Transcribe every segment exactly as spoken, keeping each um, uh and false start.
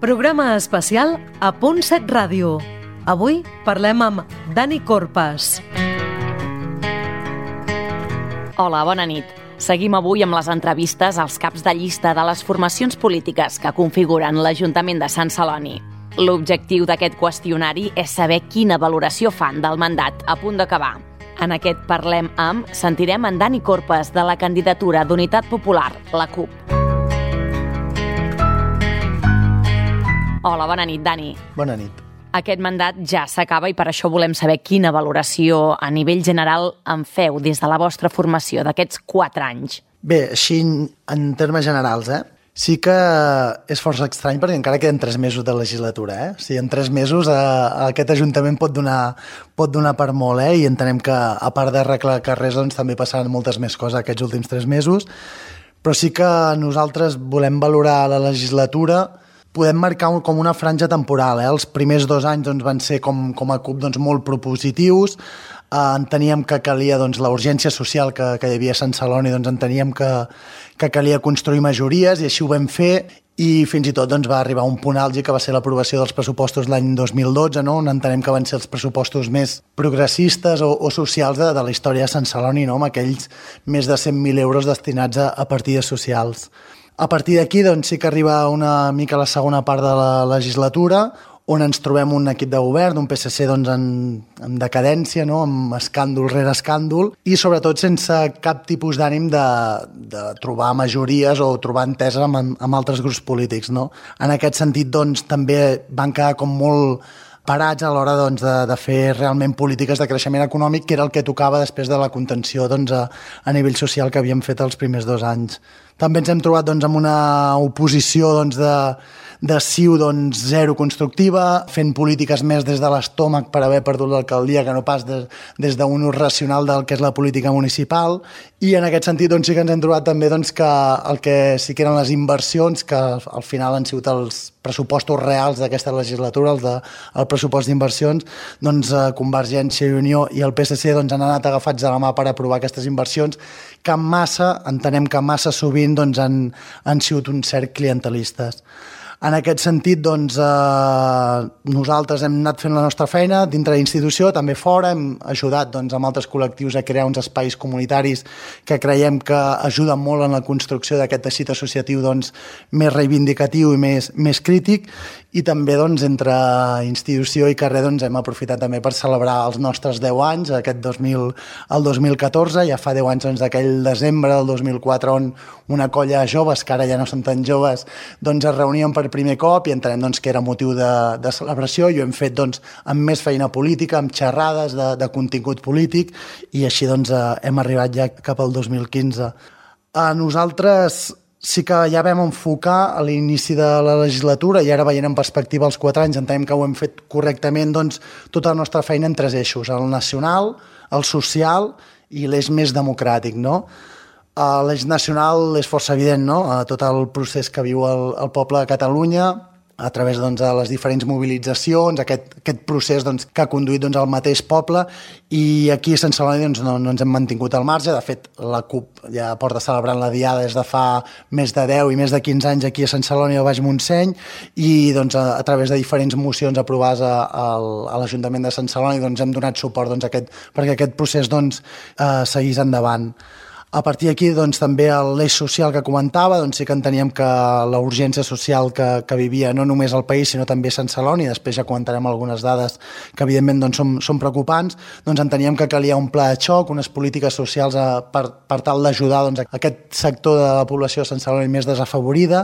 Programa especial a Punt set Ràdio. Avui parlem amb Dani Corpas. Hola, bona nit. Seguim avui amb les entrevistes als caps de llista de les formacions polítiques que configuren l'Ajuntament de Sant Celoni. L'objectiu d'aquest qüestionari és saber quina valoració fan del mandat a punt d'acabar. En aquest Parlem amb sentirem en Dani Corpas de la candidatura d'Unitat Popular, la CUP. Hola, bona nit, Dani. Bona nit. Aquest mandat ja s'acaba i per això volem saber quina valoració a nivell general en feu des de la vostra formació d'aquests quatre anys. Bé, així en termes generals, eh? Sí que és força estrany perquè encara queden tres mesos de legislatura, eh? O sigui, en tres mesos eh, aquest Ajuntament pot donar, pot donar per molt, eh? I entenem que a part d'arreglar carrers doncs, també passaran moltes més coses aquests últims tres mesos, però sí que nosaltres volem valorar la legislatura. Podem marcar com una franja temporal. Eh? Els primers dos anys doncs, van ser com, com a CUP doncs, molt propositius. Eh, enteníem que calia doncs, la urgència social que, que hi havia a Sant Celoni, doncs, enteníem que, que calia construir majories i així ho vam fer i fins i tot doncs, va arribar un punt àlgid que va ser l'aprovació dels pressupostos l'any dos mil dotze, no? On entenem que van ser els pressupostos més progressistes o, o socials de, de la història de Sant Celoni, no? Amb aquells més de cent mil euros destinats a, a partides socials. A partir d'aquí doncs, sí que arriba una mica la segona part de la legislatura, on ens trobem un equip de govern, un P S C doncs, en, en decadència, no? Amb escàndol rere escàndol, i sobretot sense cap tipus d'ànim de, de trobar majories o trobar enteses amb, amb altres grups polítics. No? En aquest sentit, doncs, també van quedar com molt parats a l'hora doncs, de, de fer realment polítiques de creixement econòmic, que era el que tocava després de la contenció doncs, a, a nivell social que havíem fet els primers dos anys. També ens hem trobat doncs, amb una oposició doncs, de, de C I U doncs, zero constructiva, fent polítiques més des de l'estómac per haver perdut l'alcaldia que no pas des, des d'un ús racional del que és la política municipal. I en aquest sentit doncs, sí que ens hem trobat també doncs, que el que sí que eren les inversions, que al final han sigut els pressupostos reals d'aquesta legislatura, els de, el pressupost d'inversions, doncs eh, Convergència i Unió i el P S C doncs, han anat agafats de la mà per aprovar aquestes inversions, que en massa, entenem que massa sovint doncs, han, han sigut un cert clientelistes. En aquest sentit, doncs, eh, nosaltres hem anat fent la nostra feina dintre de la institució, també fora, hem ajudat doncs, amb altres col·lectius a crear uns espais comunitaris que creiem que ajuden molt en la construcció d'aquest teixit associatiu doncs, més reivindicatiu i més, més crític, i també doncs, entre institució i carrer doncs, hem aprofitat també per celebrar els nostres deu anys, aquest dos mil, el dos mil catorze, ja fa deu anys doncs, d'aquell desembre del dos mil quatre on una colla de joves, que ara ja no són tan joves, doncs, es reunien per primer cop i entenem doncs, que era motiu de, de celebració i ho hem fet doncs, amb més feina política, amb xerrades de, de contingut polític i així doncs, eh, hem arribat ja cap al dos mil quinze. A nosaltres sí que ja vam enfocar a l'inici de la legislatura i ara veient en perspectiva els quatre anys entenem que ho hem fet correctament doncs, tota la nostra feina en tres eixos, el nacional, el social i l'eix més democràtic, no? L'eix nacional és força evident, no? Tot el procés que viu el, el poble de Catalunya a través doncs, de les diferents mobilitzacions, aquest, aquest procés doncs, que ha conduït doncs, el mateix poble i aquí a Sant Celoni doncs, no, no ens hem mantingut al marge. De fet, la CUP ja porta celebrant la Diada des de fa més de deu i més de quinze anys aquí a Sant Celoni al Baix Montseny i doncs, a, a través de diferents mocions aprovades a, a, a l'Ajuntament de Sant Celoni doncs, hem donat suport doncs, a aquest, perquè aquest procés doncs, eh, seguís endavant. A partir d'aquí, doncs, també l'eix social que comentava, doncs sí que enteníem que la urgència social que, que vivia no només el país, sinó també Sant Celoni, després ja comentarem algunes dades que evidentment doncs, són, són preocupants, doncs enteníem que calia un pla de xoc, unes polítiques socials a, per, per tal d'ajudar doncs, aquest sector de la població de Sant Celoni més desafavorida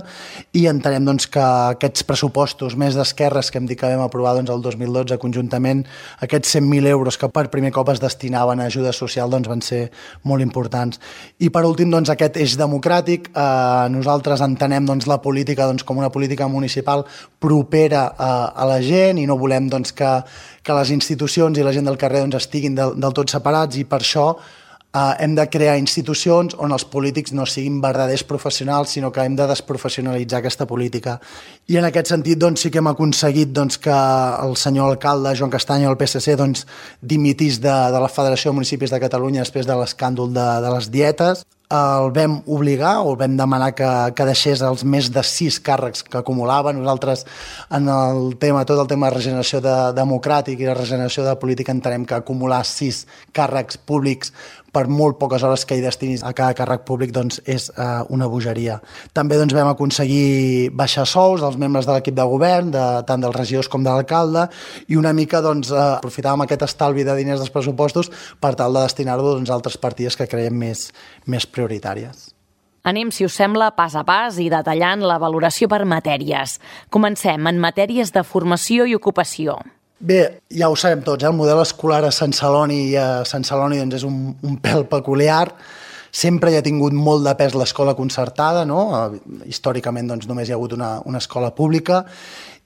i entenem doncs, que aquests pressupostos més d'esquerres que hem dit que vam aprovar doncs, el dos mil dotze conjuntament, aquests cent mil euros que per primer cop es destinaven a ajuda social doncs, van ser molt importants. I per últim, doncs, aquest eix democràtic, eh, nosaltres entenem doncs, la política doncs, com una política municipal propera a, a la gent i no volem doncs, que, que les institucions i la gent del carrer doncs, estiguin del, del tot separats i per això eh, hem de crear institucions on els polítics no siguin verdaders professionals, sinó que hem de desprofessionalitzar aquesta política. I en aquest sentit doncs, sí que hem aconseguit doncs, que el senyor alcalde Joan Castanyo del P S C doncs, dimitís de, de la Federació de Municipis de Catalunya després de l'escàndol de, de les dietes. el vam obligar o el vam demanar que, que deixés els més de sis càrrecs que acumulava. Nosaltres en el tema, tot el tema de regeneració de, democràtic i de regeneració de política entenem que acumular sis càrrecs públics per molt poques hores que hi destinis a cada càrrec públic doncs, és uh, una bogeria. També doncs, vam aconseguir baixar sous dels membres de l'equip de govern, de, tant dels regidors com de l'alcalde, i una mica doncs, uh, aprofitàvem aquest estalvi de diners dels pressupostos per tal de destinar-lo doncs, a altres partides que creiem més, més prioritàries. Anem, si us sembla, pas a pas i detallant la valoració per matèries. Comencem en matèries de formació i ocupació. Bé, ja ho sabem tots, eh? El model escolar a Sant Celoni i a Sant Celoni doncs, és un, un pèl peculiar. Sempre hi ha tingut molt de pes l'escola concertada, no? Històricament doncs, només hi ha hagut una, una escola pública,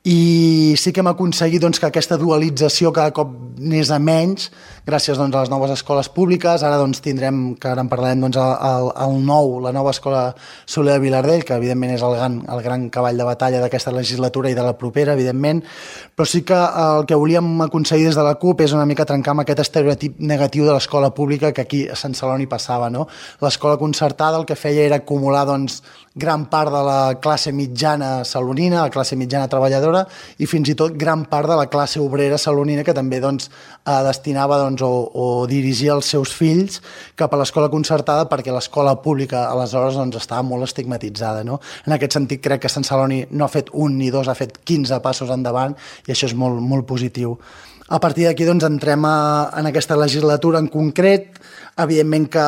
i sí que hem aconseguit doncs, que aquesta dualització cada cop n'és a menys gràcies doncs, a les noves escoles públiques. Ara doncs, tindrem, que ara en parlarem, doncs, el, el nou, la nova escola Soler de Vilardell, que evidentment és el gran, el gran cavall de batalla d'aquesta legislatura i de la propera, evidentment, però sí que el que volíem aconseguir des de la CUP és una mica trencar amb aquest estereotip negatiu de l'escola pública que aquí a Sant Celoni passava, no? L'escola concertada el que feia era acumular doncs, gran part de la classe mitjana salonina, la classe mitjana treballadora, i fins i tot gran part de la classe obrera salonina que també doncs, eh, destinava doncs, o, o dirigia els seus fills cap a l'escola concertada perquè l'escola pública aleshores doncs, estava molt estigmatitzada. No? En aquest sentit crec que Sant Celoni no ha fet un ni dos, ha fet quinze passos endavant i això és molt, molt positiu. A partir d'aquí doncs, entrem a, en aquesta legislatura en concret. Evidentment que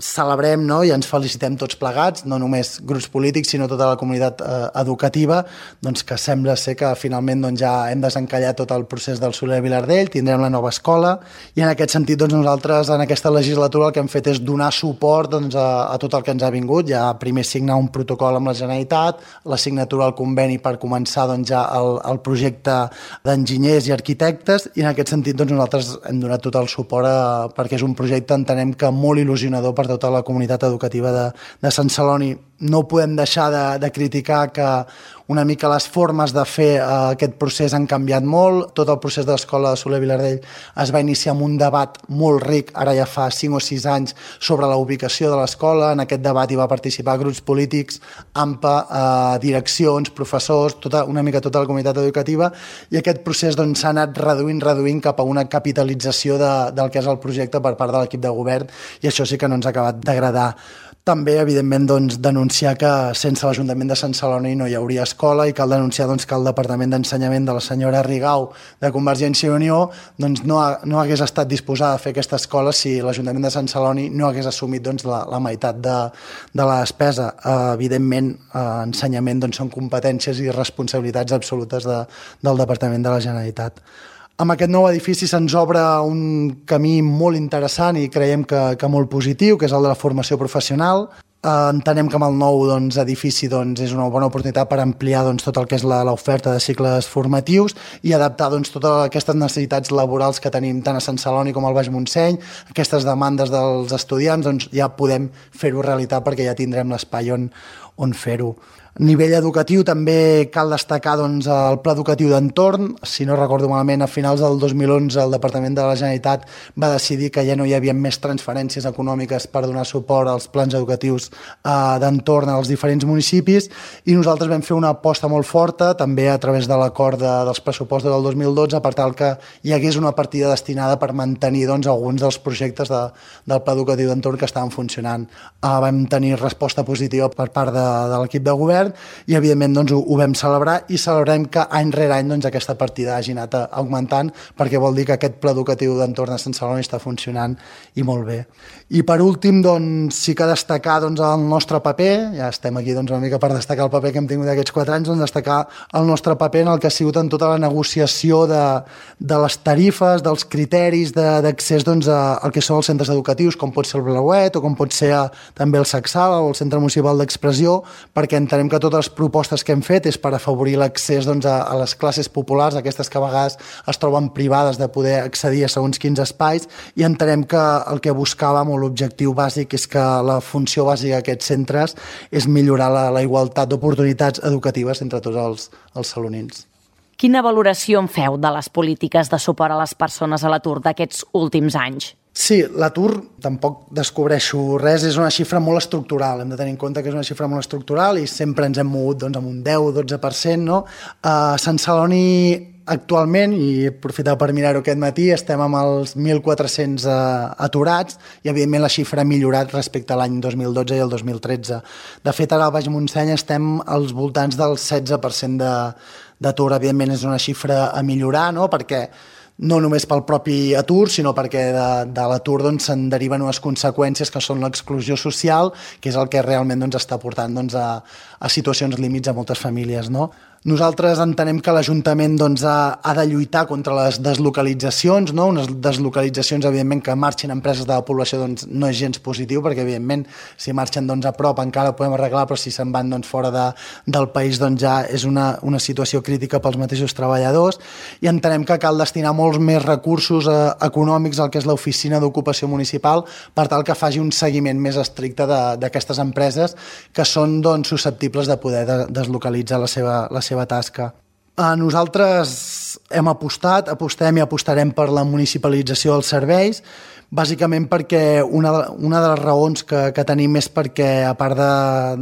celebrem, no? I ens felicitem tots plegats, no només grups polítics, sinó tota la comunitat eh, educativa, doncs que sembla ser que finalment doncs, ja hem desencallat tot el procés del Soler de Vilardell, tindrem la nova escola, i en aquest sentit doncs, nosaltres en aquesta legislatura el que hem fet és donar suport doncs, a, a tot el que ens ha vingut, ja primer signar un protocol amb la Generalitat, la signatura del conveni per començar doncs, ja el, el projecte d'enginyers i arquitectes, i en aquest sentit doncs, nosaltres hem donat tot el suport a, perquè és un projecte entenem que molt il·lusionador per tota la comunitat educativa de, de Sant Celoni. No podem deixar de, de criticar que una mica les formes de fer eh, aquest procés han canviat molt. Tot el procés de l'escola de Soler Vilardell es va iniciar amb un debat molt ric, ara ja fa cinc o sis anys, sobre la ubicació de l'escola. En aquest debat hi va participar grups polítics, A M P A, eh, direccions, professors, tota, una mica tota la comunitat educativa, i aquest procés doncs, s'ha anat reduint, reduint cap a una capitalització de, del que és el projecte per part de l'equip de govern, i això sí que no ens ha acabat d'agradar. També, evidentment, doncs, denunciar que sense l'Ajuntament de Sant Celoni no hi hauria escola, i cal denunciar doncs, que el Departament d'Ensenyament de la senyora Rigau de Convergència i Unió doncs, no, ha, no hagués estat disposada a fer aquesta escola si l'Ajuntament de Sant Celoni no hagués assumit doncs, la, la meitat de, de la despesa. Eh, evidentment, eh, ensenyament doncs, són competències i responsabilitats absolutes de, del Departament de la Generalitat. Amb aquest nou edifici se'ns obre un camí molt interessant i creiem que, que molt positiu, que és el de la formació professional. Eh, entenem que amb el nou doncs, edifici doncs, és una bona oportunitat per ampliar doncs, tot el que és l'oferta de cicles formatius i adaptar doncs, totes aquestes necessitats laborals que tenim tant a Sant Celoni com al Baix Montseny, aquestes demandes dels estudiants, doncs, ja podem fer-ho realitat perquè ja tindrem l'espai on, on fer-ho. A nivell educatiu també cal destacar doncs, el pla educatiu d'entorn. Si no recordo malament, a finals del dos mil onze el Departament de la Generalitat va decidir que ja no hi havia més transferències econòmiques per donar suport als plans educatius eh, d'entorn als diferents municipis, i nosaltres vam fer una aposta molt forta també a través de l'acord de, dels pressupostos del dos mil dotze per tal que hi hagués una partida destinada per mantenir doncs, alguns dels projectes de, del pla educatiu d'entorn que estaven funcionant. Eh, vam tenir resposta positiva per part de, de l'equip de govern, i evidentment doncs, ho, ho vam celebrar, i celebrem que any rere any doncs, aquesta partida hagi anat augmentant, perquè vol dir que aquest pla educatiu d'entorn a Sant Celoni està funcionant i molt bé. I per últim doncs, sí que destacar doncs, el nostre paper, ja estem aquí doncs, una mica per destacar el paper que hem tingut aquests quatre anys, doncs, destacar el nostre paper en el que ha sigut en tota la negociació de, de les tarifes, dels criteris d'accés doncs, al que són els centres educatius, com pot ser el Blauet o com pot ser a, també el Sacsal o el Centre Municipal d'Expressió, perquè entenem que totes les propostes que hem fet és per afavorir l'accés doncs, a, a les classes populars, aquestes que a vegades es troben privades de poder accedir a segons quins espais, i entenem que el que buscàvem o l'objectiu bàsic és que la funció bàsica d'aquests centres és millorar la, la igualtat d'oportunitats educatives entre tots els, els salonins. Quina valoració en feu de les polítiques de suport a les persones a l'atur d'aquests últims anys? Sí, l'atur, tampoc descobreixo res, és una xifra molt estructural, hem de tenir en compte que és una xifra molt estructural i sempre ens hem mogut doncs, amb un deu o dotze per cent, no? A Sant Celoni actualment, i he aprofitat per mirar-ho aquest matí, estem amb els mil quatre-cents uh, aturats i evidentment la xifra ha millorat respecte a l'any dos mil dotze i el dos mil tretze. De fet, ara al Baix Montseny estem als voltants del setze per cent d'atur. Evidentment és una xifra a millorar, no? Perquè no només pel propi atur, sinó perquè de, de l'atur doncs, se'n deriven unes conseqüències que són l'exclusió social, que és el que realment doncs, està portant doncs, a, a situacions límits a moltes famílies, no? Nosaltres entenem que l'Ajuntament doncs, ha, ha de lluitar contra les deslocalitzacions, no? Unes deslocalitzacions, evidentment, que marxin empreses de la població doncs, no és gens positiu, perquè, evidentment, si marxen doncs, a prop encara ho podem arreglar, però si se'n van doncs, fora de, del país doncs, ja és una, una situació crítica pels mateixos treballadors, i entenem que cal destinar molts més recursos eh, econòmics al que és l'oficina d'ocupació municipal per tal que faci un seguiment més estricte d'aquestes empreses que són doncs, susceptibles de poder de, deslocalitzar la seva, la seva tasca. Nosaltres hem apostat, apostem i apostarem per la municipalització dels serveis, bàsicament perquè una, una de les raons que, que tenim és perquè, a part de,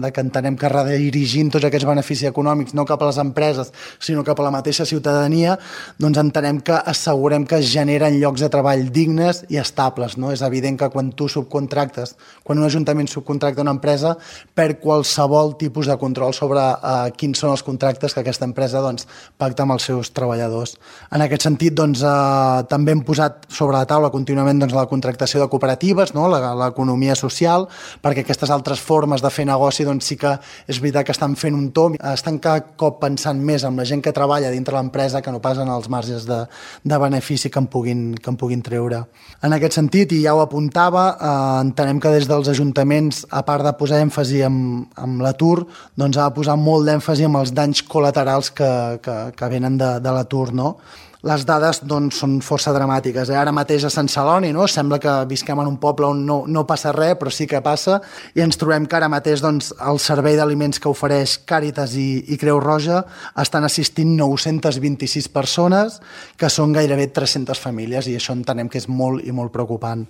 de que entenem que redirigim tots aquests beneficis econòmics no cap a les empreses, sinó cap a la mateixa ciutadania, doncs entenem que assegurem que es generen llocs de treball dignes i estables. No? És evident que quan tu subcontractes, quan un ajuntament subcontracta una empresa, perd qualsevol tipus de control sobre uh, quins són els contractes que aquesta empresa doncs, pacta amb els seus treballadors. En aquest sentit, doncs, uh, també hem posat sobre la taula contínuament doncs, la contractació de cooperatives, no? l'economia social, perquè aquestes altres formes de fer negoci doncs sí que és veritat que estan fent un tomb, estan cada cop pensant més en la gent que treballa dintre l'empresa que no pas en els marges de, de benefici que en, puguin, que en puguin treure. En aquest sentit, i ja ho apuntava, eh, entenem que des dels ajuntaments, a part de posar èmfasi en, en l'atur, doncs ha de posar molt d'èmfasi en els danys col·laterals que, que, que venen de, de l'atur, no? Les dades doncs, són força dramàtiques. Eh? Ara mateix a Sant Celoni no? Sembla que visquem en un poble on no, no passa res, però sí que passa, i ens trobem que ara mateix doncs, el servei d'aliments que ofereix Càritas i, i Creu Roja estan assistint nou-centes vint-i-sis persones, que són gairebé tres-centes famílies, i això entenem que és molt i molt preocupant.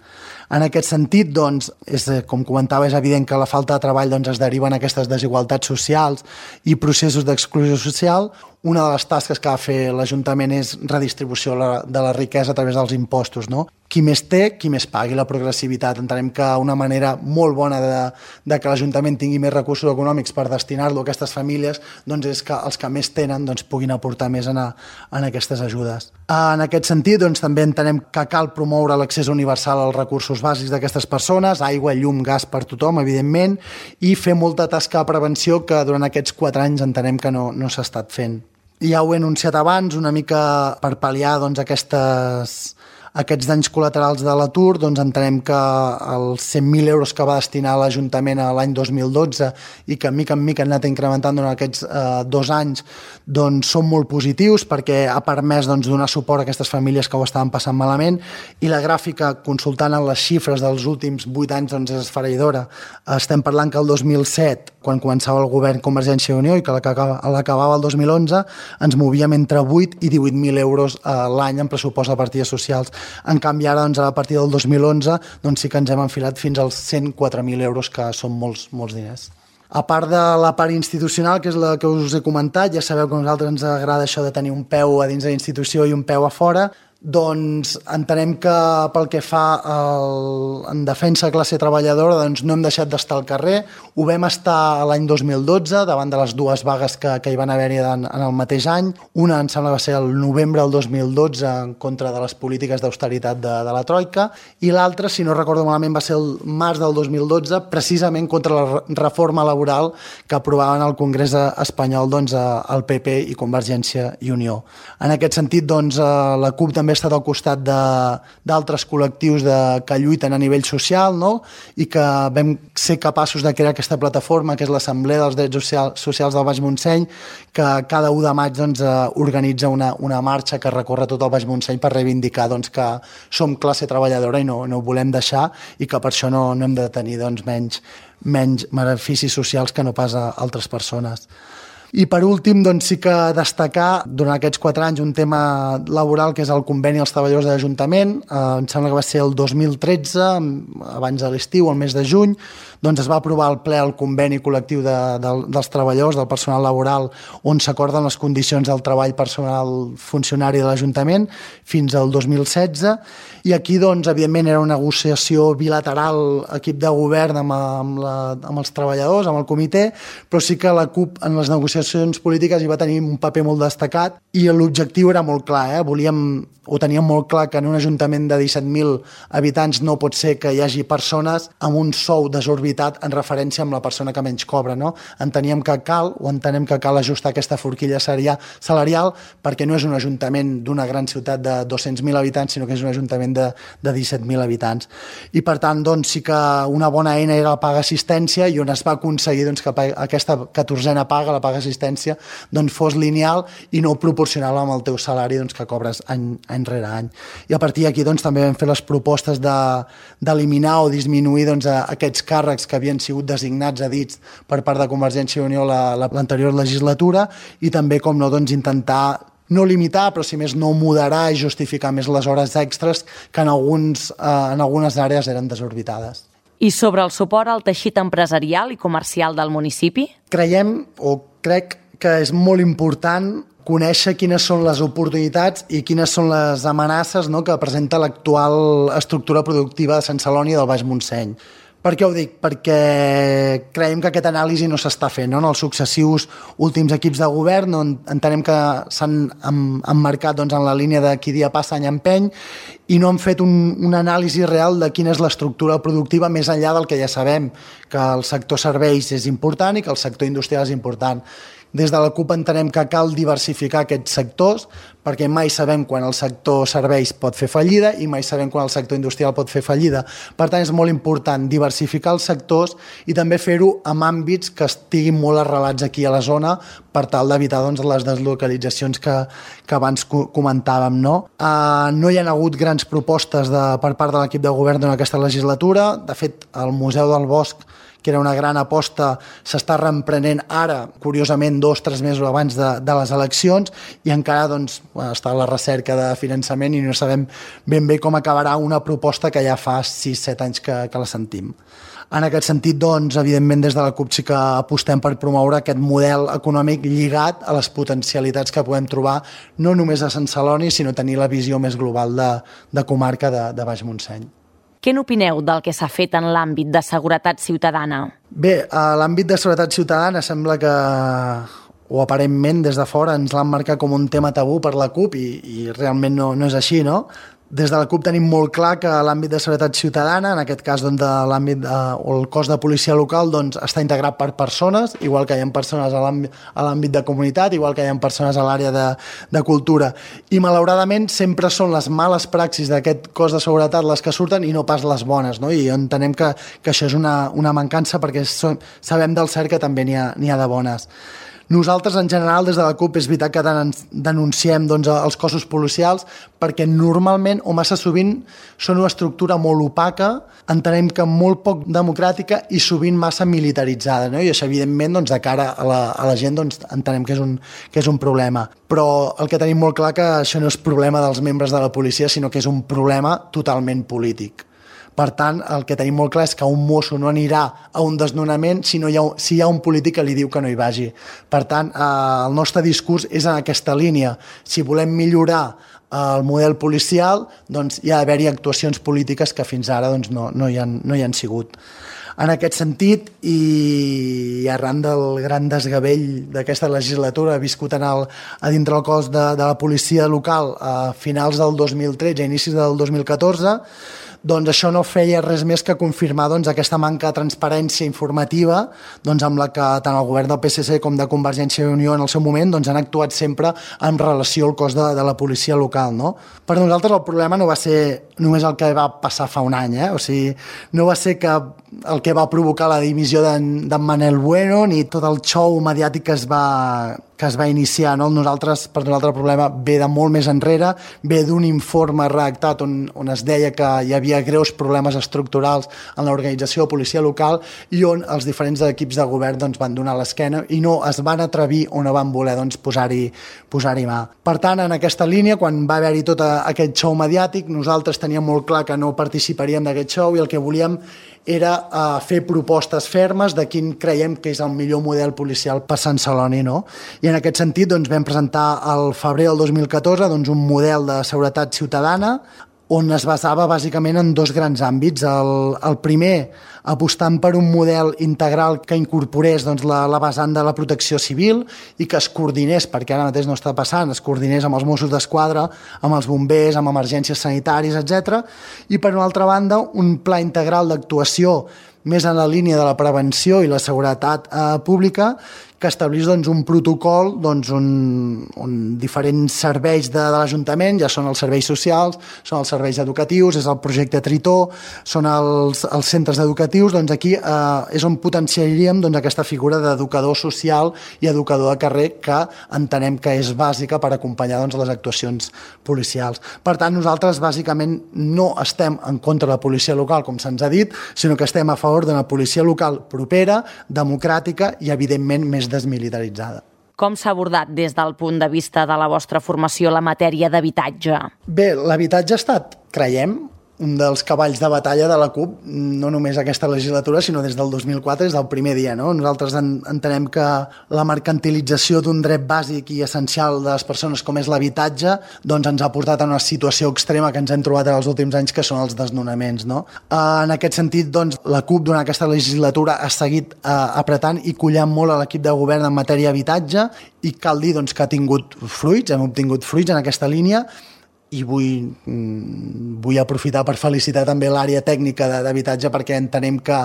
En aquest sentit, doncs, és, com comentava, és evident que la falta de treball doncs, es deriva en aquestes desigualtats socials i processos d'exclusió social. Una de les tasques que ha de fer l'Ajuntament és redistribució de la riquesa a través dels impostos, no? Qui més té, qui més pagui, la progressivitat. Entenem que una manera molt bona de, de que l'Ajuntament tingui més recursos econòmics per destinar-lo a aquestes famílies doncs és que els que més tenen doncs, puguin aportar més en, a, en aquestes ajudes. En aquest sentit, doncs, també entenem que cal promoure l'accés universal als recursos bàsics d'aquestes persones, aigua, llum, gas per tothom, evidentment, i fer molta tasca de prevenció que durant aquests quatre anys entenem que no, no s'ha estat fent. Ja ho he anunciat abans, una mica per pal·liar doncs, aquestes, aquests danys col·laterals de l'atur, doncs entenem que els cent mil euros que va destinar l'Ajuntament a l'any dos mil dotze i que mica en mica han anat incrementant durant aquests eh, dos anys doncs són molt positius perquè ha permès doncs, donar suport a aquestes famílies que ho estaven passant malament, i la gràfica, consultant en les xifres dels últims vuit anys, doncs és esfereïdora. Estem parlant que el dos mil set, quan començava el govern Convergència i Unió i que l'acabava el dos mil onze, ens movíem entre vuit i divuit mil euros a l'any en pressupost de partides socials. En canvi, ara, doncs, a partir del dos mil onze, doncs sí que ens hem enfilat fins als cent quatre mil euros, que són molts, molts diners. A part de la part institucional, que és la que us he comentat, ja sabeu que a nosaltres ens agrada això de tenir un peu a dins de la institució i un peu a fora, doncs entenem que pel que fa el, en defensa de classe treballadora doncs no hem deixat d'estar al carrer. Ho vam estar l'any dos mil dotze davant de les dues vagues que, que hi van haver-hi en, en el mateix any. Una em sembla que va ser el novembre del dos mil dotze en contra de les polítiques d'austeritat de, de la Troika, i l'altra, si no recordo malament, va ser el març del dos mil dotze precisament contra la reforma laboral que aprovaven al Congrés espanyol doncs, el P P i Convergència i Unió. En aquest sentit, doncs, la CUP també ha estat al costat d'altres col·lectius de, que lluiten a nivell social, no? I que vam ser capaços de crear aquesta plataforma que és l'Assemblea dels Drets Social, Socials del Baix Montseny, que cada u de maig doncs, organitza una, una marxa que recorre tot el Baix Montseny per reivindicar doncs, que som classe treballadora i no, no ho volem deixar, i que per això no, no hem de tenir doncs, menys, menys beneficis socials que no pas a altres persones. I per últim, doncs sí que destacar durant aquests quatre anys un tema laboral que és el conveni als treballadors de l'Ajuntament. Eh, em sembla que va ser el dos mil tretze, abans de l'estiu, el mes de juny, doncs es va aprovar al ple el conveni col·lectiu de, de, dels treballadors, del personal laboral, on s'acorden les condicions del treball personal funcionari de l'Ajuntament fins al dos mil setze. I aquí, doncs, evidentment, era una negociació bilateral, equip de govern amb, amb, la, amb els treballadors, amb el comitè, però sí que la CUP en les negociacions polítiques hi va tenir un paper molt destacat i l'objectiu era molt clar, eh? Volíem, ho teníem molt clar que en un ajuntament de disset mil habitants no pot ser que hi hagi persones amb un sou desorbitat en referència amb la persona que menys cobra, no? Enteníem que cal, o entenem que cal ajustar aquesta forquilla salarial perquè no és un ajuntament d'una gran ciutat de dos-cents mil habitants, sinó que és un ajuntament de, de disset mil habitants. I per tant, doncs, sí que una bona eina era la paga assistència i on es va aconseguir doncs, que aquesta catorzena paga, la paga assistència, doncs, fos lineal i no proporcional amb el teu salari doncs, que cobres any, any rere any. I a partir d'aquí doncs, també vam fer les propostes d'eliminar de, o disminuir doncs, aquests càrrecs que havien sigut designats a dits per part de Convergència i Unió l'anterior legislatura i també, com no, doncs, intentar no limitar, però si més no moderar i justificar més les hores extres que en, alguns, eh, en algunes àrees eren desorbitades. I sobre el suport al teixit empresarial i comercial del municipi? Creiem, o crec que és molt important conèixer quines són les oportunitats i quines són les amenaces, no?, que presenta l'actual estructura productiva de Sant Celoni i del Baix Montseny. Per què ho dic? Perquè creiem que aquest anàlisi no s'està fent, no? En els successius últims equips de govern no, entenem que s'han emmarcat doncs, en la línia de qui dia passa any empeny i no han fet un, un anàlisi real de quina és l'estructura productiva més enllà del que ja sabem, que el sector serveis és important i que el sector industrial és important. Des de la CUP entenem que cal diversificar aquests sectors perquè mai sabem quan el sector serveis pot fer fallida i mai sabem quan el sector industrial pot fer fallida. Per tant, és molt important diversificar els sectors i també fer-ho amb àmbits que estiguin molt arrelats aquí a la zona per tal d'evitar doncs, les deslocalitzacions que, que abans comentàvem. No? Uh, no hi ha hagut grans propostes de, per part de l'equip de govern en aquesta legislatura. De fet, el Museu del Bosc, que era una gran aposta, s'està reemprenent ara, curiosament, dos o tres mesos abans de, de les eleccions, i encara doncs, està a la recerca de finançament i no sabem ben bé com acabarà una proposta que ja fa sis o set anys que, que la sentim. En aquest sentit, doncs, evidentment, des de la CUP sí que apostem per promoure aquest model econòmic lligat a les potencialitats que podem trobar no només a Sant Celoni, sinó tenir la visió més global de, de comarca de, de Baix Montseny. Què n'opineu del que s'ha fet en l'àmbit de seguretat ciutadana? Bé, a l'àmbit de seguretat ciutadana sembla que, o aparentment des de fora, ens l'han marcat com un tema tabú per la CUP i, i realment no, no és així, no? Des de la CUP tenim molt clar que l'àmbit de seguretat ciutadana, en aquest cas doncs, de l'àmbit de, o el cos de policia local, doncs, està integrat per persones, igual que hi ha persones a l'àmbit de comunitat, igual que hi ha persones a l'àrea de, de cultura. I malauradament sempre són les males praxis d'aquest cos de seguretat les que surten i no pas les bones, no? I entenem que, que això és una, una mancança perquè som, sabem del cert que també n'hi ha, n'hi ha de bones. Nosaltres, en general, des de la CUP, és veritat que denunciem doncs, els cossos policials perquè normalment o massa sovint són una estructura molt opaca, entenem que molt poc democràtica i sovint massa militaritzada, no? I això, evidentment, doncs, de cara a la, a la gent doncs, entenem que és, un, que és un problema. Però el que tenim molt clar que això no és problema dels membres de la policia, sinó que és un problema totalment polític. Per tant, el que tenim molt clar és que un mosso no anirà a un desnonament si, no hi ha, si hi ha un polític que li diu que no hi vagi. Per tant, eh, el nostre discurs és en aquesta línia. Si volem millorar eh, el model policial, doncs hi ha d'haver-hi actuacions polítiques que fins ara doncs, no, no, hi han, no hi han sigut. En aquest sentit, i arran del gran desgavell d'aquesta legislatura viscut en el, a dintre el cos de, de la policia local a finals del dos mil tretze, a inicis del dos mil catorze, doncs això no feia res més que confirmar doncs, aquesta manca de transparència informativa doncs, amb la que tant el govern del P S C com de Convergència i Unió en el seu moment doncs, han actuat sempre en relació al cos de, de la policia local. No? Per nosaltres el problema no va ser només el que va passar fa un any, eh? O sigui, no va ser que el que va provocar la dimissió d'en Manel Bueno ni tot el xou mediàtic que es va que es va iniciar, no? Nosaltres, per nosaltres el problema ve de molt més enrere, ve d'un informe redactat on, on es deia que hi havia greus problemes estructurals en l'organització de policia local i on els diferents equips de govern doncs, van donar l'esquena i no es van atrevir o no van voler doncs, posar-hi posar-hi mà. Per tant, en aquesta línia, quan va haver-hi tot aquest show mediàtic, nosaltres teníem molt clar que no participaríem d'aquest show i el que volíem era uh, fer propostes fermes de quin creiem que és el millor model policial per Sant Celoni, no? I en aquest sentit doncs, vam presentar al febrer del dos mil catorze doncs, un model de seguretat ciutadana on es basava bàsicament en dos grans àmbits. El, el primer, apostant per un model integral que incorporés doncs, la, la vessant de la protecció civil i que es coordinés, perquè ara mateix no està passant, es coordinés amb els Mossos d'Esquadra, amb els bombers, amb emergències sanitàries, etcètera. I per una altra banda, un pla integral d'actuació més en la línia de la prevenció i la seguretat eh, pública, que establís doncs, un protocol doncs, on, on diferents serveis de, de l'Ajuntament, ja són els serveis socials, són els serveis educatius, és el projecte Tritó, són els, els centres educatius, doncs aquí eh, és on potenciaríem doncs, aquesta figura d'educador social i educador de carrer que entenem que és bàsica per acompanyar doncs, les actuacions policials. Per tant, nosaltres bàsicament no estem en contra de la policia local, com se'ns ha dit, sinó que estem a favor d'una policia local propera, democràtica i, evidentment, més desmilitaritzada. Com s'ha abordat des del punt de vista de la vostra formació la matèria d'habitatge? Bé, l'habitatge ha estat, creiem, un dels cavalls de batalla de la CUP, no només aquesta legislatura, sinó des del dos mil quatre, des del primer dia. No? Nosaltres en, entenem que la mercantilització d'un dret bàsic i essencial de les persones com és l'habitatge doncs ens ha portat a una situació extrema que ens hem trobat en els últims anys, que són els desnonaments. No? En aquest sentit, doncs, la CUP durant aquesta legislatura ha seguit eh, apretant i collant molt a l'equip de govern en matèria d'habitatge i cal dir doncs, que ha tingut fruits, hem obtingut fruits en aquesta línia, i vull, vull aprofitar per felicitar també l'àrea tècnica d'habitatge perquè entenem que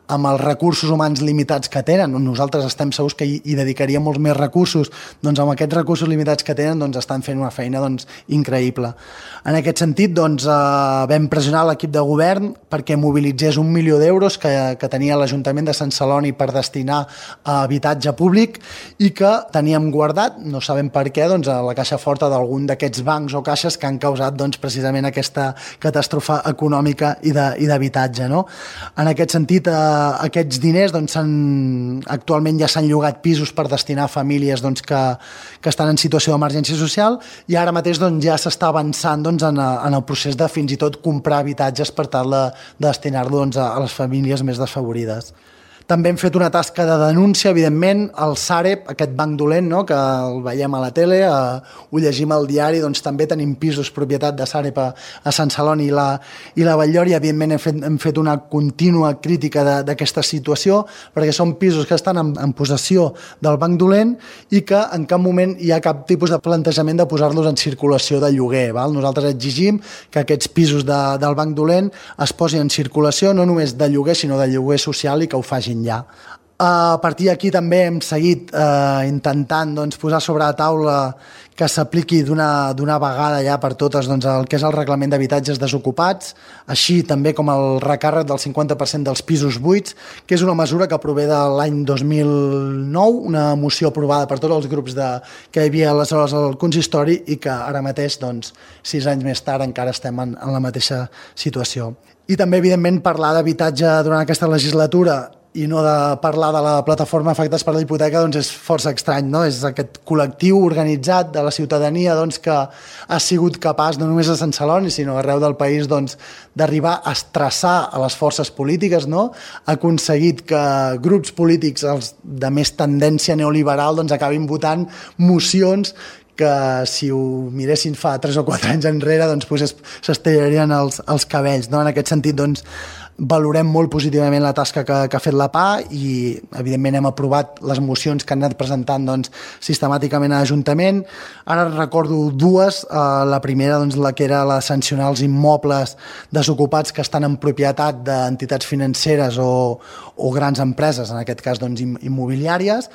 amb els recursos humans limitats que tenen, nosaltres estem segurs que hi, hi dedicaríem molts més recursos, doncs amb aquests recursos limitats que tenen doncs estan fent una feina doncs, increïble. En aquest sentit doncs, eh, vam pressionar l'equip de govern perquè mobilitzés un milió d'euros que, que tenia l'Ajuntament de Sant Celoni per destinar a habitatge públic i que teníem guardat, no sabem per què, doncs, a la caixa forta d'algun d'aquests bancs o caixes que han causat doncs, precisament aquesta catàstrofe econòmica i d'habitatge. No? En aquest sentit, eh, aquests diners doncs, actualment ja s'han llogat pisos per destinar a famílies doncs, que, que estan en situació d'emergència social i ara mateix doncs, ja s'està avançant doncs, en, en el procés de fins i tot comprar habitatges per tal de, de destinar-lo doncs, a, a les famílies més desfavorides. També hem fet una tasca de denúncia, evidentment, al Sareb, aquest banc dolent, no?, que el veiem a la tele, eh, ho llegim al diari, doncs també tenim pisos propietat de Sareb a, a Sant Celoni i la, i la Batllori. Evidentment hem fet, hem fet una contínua crítica d'aquesta situació, perquè són pisos que estan en, en possessió del banc dolent i que en cap moment hi ha cap tipus de plantejament de posar-los en circulació de lloguer. Val? Nosaltres exigim que aquests pisos de, del banc dolent es posin en circulació, no només de lloguer, sinó de lloguer social i que ho facin ja. A partir d'aquí també hem seguit eh, intentant doncs, posar sobre la taula que s'apliqui d'una vegada ja per totes doncs, el que és el reglament d'habitatges desocupats, així també com el recàrrec del cinquanta per cent dels pisos buits, que és una mesura que prové de l'any dos mil nou, una moció aprovada per tots els grups de, que hi havia aleshores al consistori i que ara mateix, doncs, sis anys més tard, encara estem en, en la mateixa situació. I també, evidentment, parlar d'habitatge durant aquesta legislatura i no de parlar de la plataforma Afectats per la Hipoteca doncs és força estrany, no? És aquest col·lectiu organitzat de la ciutadania doncs, que ha sigut capaç, no només a Sant Celoni, sinó arreu del país, doncs, d'arribar a estressar a les forces polítiques, no? Ha aconseguit que grups polítics els de més tendència neoliberal doncs, acabin votant mocions que si ho miressin fa tres o quatre anys enrere doncs, pues, s'estirarien els, els cabells. No? En aquest sentit, doncs, valorem molt positivament la tasca que, que ha fet la P A i, evidentment, hem aprovat les mocions que han anat presentant doncs, sistemàticament a l'Ajuntament. Ara recordo dues. Uh, la primera, doncs, la que era la de sancionar els immobles desocupats que estan en propietat d'entitats financeres o, o grans empreses, en aquest cas doncs, immobiliàries,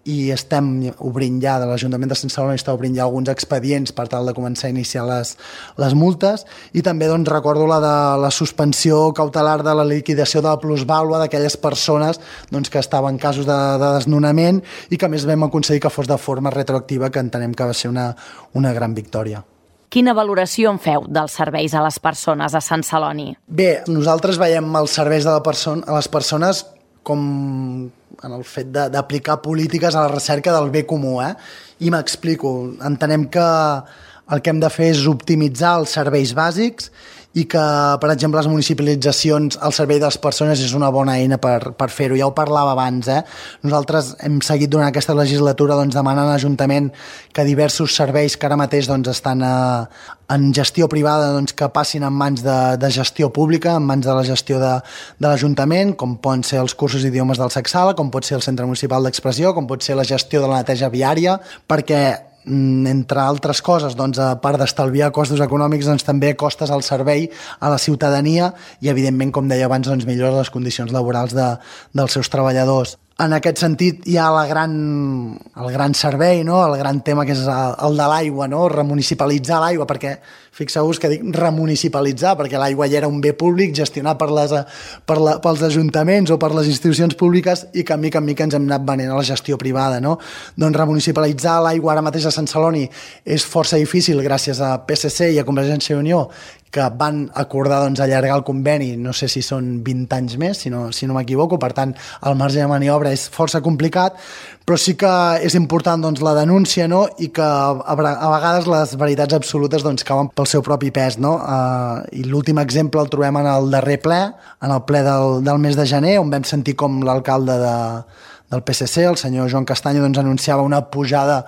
i estem obrint ja, de l'Ajuntament de Sant Celoni està obrint ja alguns expedients per tal de començar a iniciar les, les multes, i també doncs, recordo la de la suspensió cautelar de la liquidació de la plusvàlua d'aquelles persones doncs, que estaven en casos de, de desnonament i que a més vam aconseguir que fos de forma retroactiva, que entenem que va ser una, una gran victòria. Quina valoració en feu dels serveis a les persones a Sant Celoni? Bé, nosaltres veiem els serveis de la perso- a les persones com en el fet de, d'aplicar polítiques a la recerca del bé comú, eh? I m'explico. Entenem que el que hem de fer és optimitzar els serveis bàsics i que, per exemple, les municipalitzacions al servei de les persones és una bona eina per, per fer-ho. Ja ho parlava abans, eh? Nosaltres hem seguit durant aquesta legislatura doncs, demanant a l'Ajuntament que diversos serveis que ara mateix doncs, estan a, en gestió privada doncs, que passin en mans de, de gestió pública, en mans de la gestió de, de l'Ajuntament, com poden ser els cursos d'idiomes del Sacsala, com pot ser el Centre Municipal d'Expressió, com pot ser la gestió de la neteja viària, perquè entre altres coses, doncs, a part d'estalviar costos econòmics, doncs, també costes al servei a la ciutadania i, evidentment, com deia abans, doncs, millora les condicions laborals de, dels seus treballadors. En aquest sentit, hi ha la gran, el gran servei, no? El gran tema que és el, el de l'aigua, no? Remunicipalitzar l'aigua, perquè fixeu-vos que dic remunicipalitzar, perquè l'aigua ja era un bé públic gestionat per les, per la, pels ajuntaments o per les institucions públiques i que a mica en mica ens hem anat venent a la gestió privada, no? Doncs remunicipalitzar l'aigua ara mateix a Sant Celoni és força difícil gràcies a P S C i a Convergència i Unió, que van acordar doncs, allargar el conveni, no sé si són vint anys més, si no, si no m'equivoco, per tant, el marge de maniobra és força complicat, però sí que és important doncs, la denúncia, no? I que a, a vegades les veritats absolutes doncs, cauen pel seu propi pes. No? Uh, I l'últim exemple el trobem en el darrer ple, en el ple del, del mes de gener, on vam sentir com l'alcalde de, del P S C, el senyor Joan Castanyo, doncs, anunciava una pujada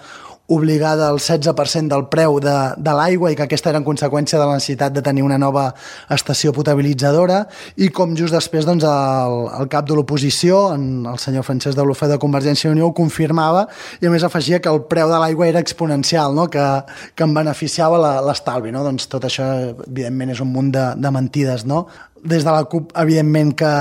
obligada al setze per cent del preu de, de l'aigua i que aquesta era en conseqüència de la necessitat de tenir una nova estació potabilitzadora, i com just després doncs, el, el cap de l'oposició, el senyor Francesc de Olofé de Convergència i Unió, ho confirmava i a més afegia que el preu de l'aigua era exponencial, no? que, que en beneficiava la, l'estalvi. No? Doncs tot això evidentment és un munt de, de mentides, no? Des de la CUP, evidentment que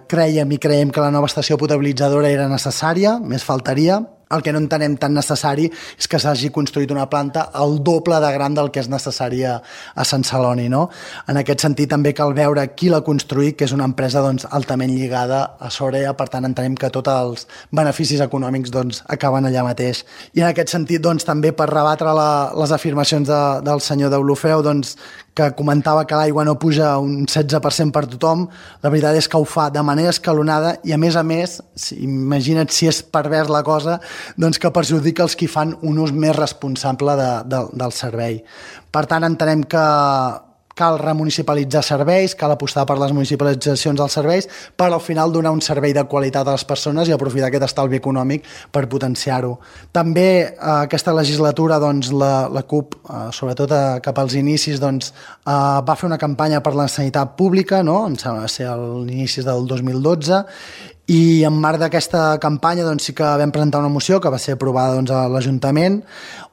creiem i creiem que la nova estació potabilitzadora era necessària, més faltaria. El que no entenem tan necessari és que s'hagi construït una planta el doble de gran del que és necessari a, a Sant Celoni. No? En aquest sentit també cal veure qui l'ha construït, que és una empresa doncs, altament lligada a Sorea, per tant entenem que tots els beneficis econòmics doncs, acaben allà mateix. I en aquest sentit doncs, també per rebatre la, les afirmacions de, del senyor Deulofeu, doncs, que comentava que l'aigua no puja un setze per cent per tothom, la veritat és que ho fa de manera escalonada i a més a més, si, imagina't si és pervers la cosa, doncs que perjudica els qui fan un ús més responsable de, de, del servei. Per tant, entenem que cal remunicipalitzar serveis, cal apostar per les municipalitzacions dels serveis per al final donar un servei de qualitat a les persones i aprofitar aquest estalvi econòmic per potenciar-ho. També eh, aquesta legislatura doncs, la, la CUP, eh, sobretot eh, cap als inicis, doncs, eh, va fer una campanya per la sanitat pública, no? Em sembla que ser a l'inici del dos mil dotze, i en marc d'aquesta campanya doncs, sí que vam presentar una moció que va ser aprovada doncs, a l'Ajuntament,